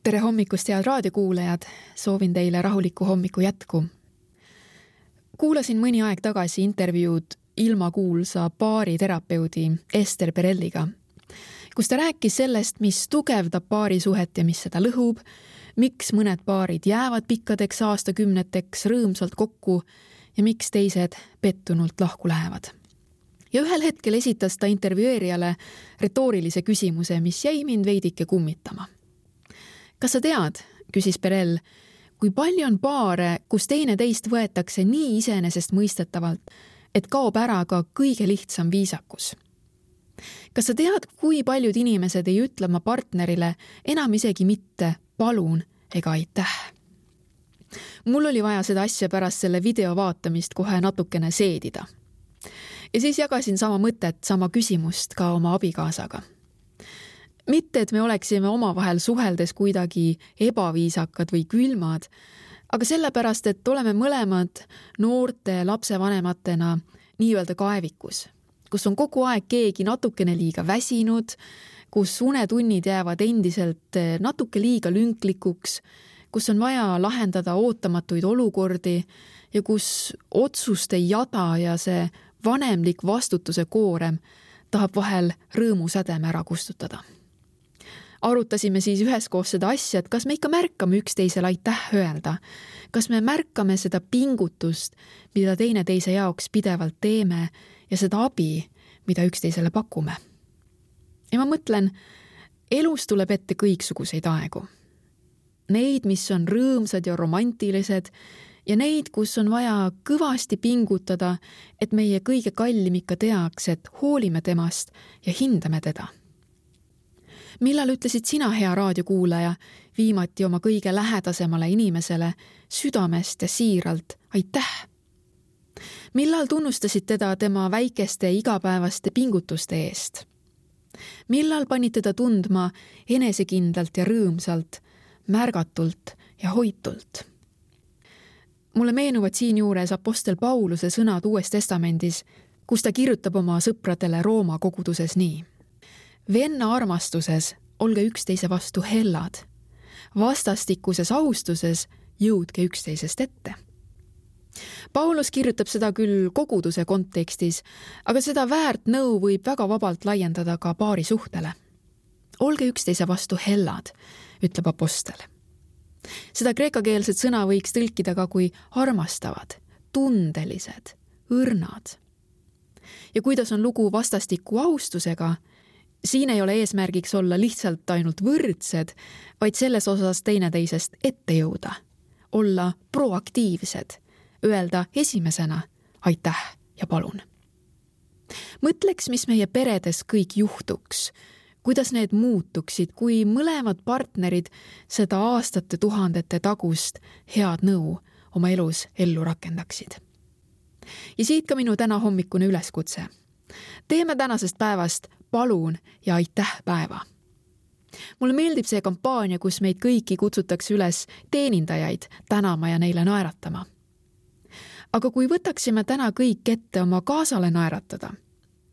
Tere hommikust, head raadiokuulajad! Soovin teile rahulikku hommiku jätku. Kuulasin mõni aeg tagasi intervjuud ilmakuulsa paariterapeudi Ester Perelliga, kus ta rääkis sellest, mis tugevdab paarisuhet ja mis seda lõhub, miks mõned paarid jäävad pikkadeks aastakümneteks rõõmsalt kokku ja miks teised pettunult lahku lähevad. Ja ühel hetkel esitas ta intervjueerijale retoorilise küsimuse, mis jäi mind veidike kummitama. Kas sa tead, küsis Perell, kui palju on paare, kus teine teist võetakse nii iseenesest mõistetavalt, et kaob ära ka kõige lihtsam viisakus? Kas sa tead, kui paljud inimesed ei ütle oma partnerile enam isegi mitte palun ega aitäh? Mul oli vaja seda asja pärast selle video vaatamist kohe natukene seedida. Ja siis jagasin sama mõtet, sama küsimust ka oma abikaasaga. Mitte, et me oleksime omavahel suheldes kuidagi ebaviisakad või külmad, aga sellepärast, et oleme mõlemad noorte lapsevanematena nii-öelda kaevikus, kus on kogu aeg keegi natukene liiga väsinud, kus unetunnid jäävad endiselt natuke liiga lünklikuks, kus on vaja lahendada ootamatuid olukordi ja kus otsuste jada ja see vanemlik vastutuse koorem tahab vahel rõõmusädeme ära kustutada. Arutasime siis üheskoos seda asja, et kas me ikka märkame üksteisele aitäh öelda, kas me märkame seda pingutust, mida teine teise jaoks pidevalt teeme ja seda abi, mida üksteisele pakume. Ja ma mõtlen, elus tuleb ette kõiksuguseid aegu. Neid, mis on rõõmsad ja romantilised ja neid, kus on vaja kõvasti pingutada, et meie kõige kallim ikka teaks, et hoolime temast ja hindame teda. Millal ütlesid sina, hea raadiokuulaja, viimati oma kõige lähedasemale inimesele südamest ja siiralt aitäh? Millal tunnustasid teda tema väikeste igapäevaste pingutuste eest? Millal panid teda tundma enesekindlalt ja rõõmsalt, märgatult ja hoitult? Mulle meenuvad siinjuures apostel Pauluse sõnad Uues Testamendis, kus ta kirjutab oma sõpradele Rooma koguduses nii. Venna armastuses olge üksteise vastu hellad. Vastastikuses austuses jõudke üksteisest ette. Paulus kirjutab seda küll koguduse kontekstis, aga seda väärt nõu võib väga vabalt laiendada ka paari suhtele. Olge üksteise vastu hellad, ütleb apostel. Seda kreekakeelset sõna võiks tõlkida ka kui armastavad, tundelised, õrnad. Ja kuidas on lugu vastastiku austusega, siin ei ole eesmärgiks olla lihtsalt ainult võrdsed, vaid selles osas teineteisest ette jõuda, olla proaktiivsed, öelda esimesena aitäh ja palun. Mõtleks, mis meie peredes kõik juhtuks, kuidas need muutuksid, kui mõlemad partnerid seda aastate tuhandete tagust head nõu oma elus ellu rakendaksid. Ja siit ka minu täna hommikune üleskutse. Teeme tänasest päevast palun ja aitäh päeva. Mulle meeldib see kampaania, kus meid kõiki kutsutakse üles teenindajaid tänama ja neile naeratama. Aga kui võtaksime täna kõik ette oma kaasale naeratada,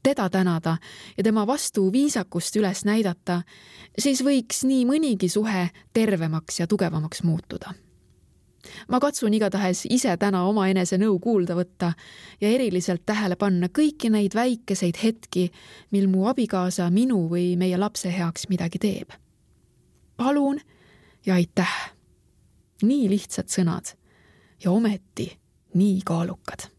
teda tänada ja tema vastu viisakust üles näidata, siis võiks nii mõnigi suhe tervemaks ja tugevamaks muutuda. Ma katsun igatahes ise täna oma enese nõu kuulda võtta ja eriliselt tähele panna kõiki neid väikeseid hetki, mil mu abikaasa minu või meie lapse heaks midagi teeb. Palun ja aitäh. Nii lihtsad sõnad ja ometi nii kaalukad.